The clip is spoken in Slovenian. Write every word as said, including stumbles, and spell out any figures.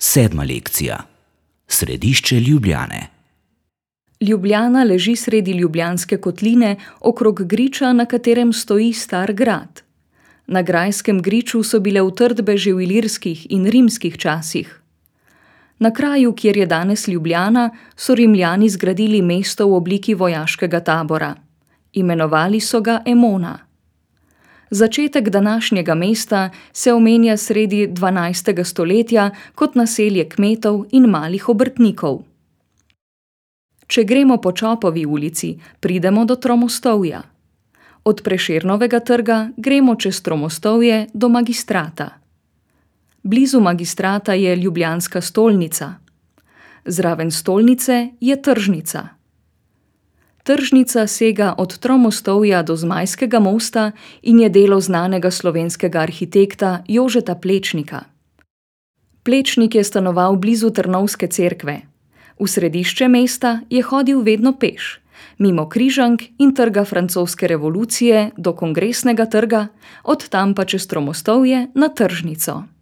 Sedma lekcija. Središče Ljubljane. Ljubljana leži sredi Ljubljanske kotline, okrog griča, na katerem stoji star grad. Na grajskem griču so bile utrdbe že v ilirskih in rimskih časih. Na kraju, kjer je danes Ljubljana, so Rimljani zgradili mesto v obliki vojaškega tabora. Imenovali so ga Emona. Začetek današnjega mesta se omenja sredi dvanajstega stoletja kot naselje kmetov in malih obrtnikov. Če gremo po Čopovi ulici, pridemo do Tromostovja. Od Prešernovega trga gremo čez Tromostovje do Magistrata. Blizu Magistrata je ljubljanska stolnica. Zraven stolnice je tržnica. Tržnica sega od Tromostovja do Zmajskega mosta in je delo znanega slovenskega arhitekta Jožeta Plečnika. Plečnik je stanoval blizu Trnovske cerkve. V središče mesta je hodil vedno peš, mimo Križank in Trga francoske revolucije do Kongresnega trga, od tam pa čez Tromostovje na tržnico.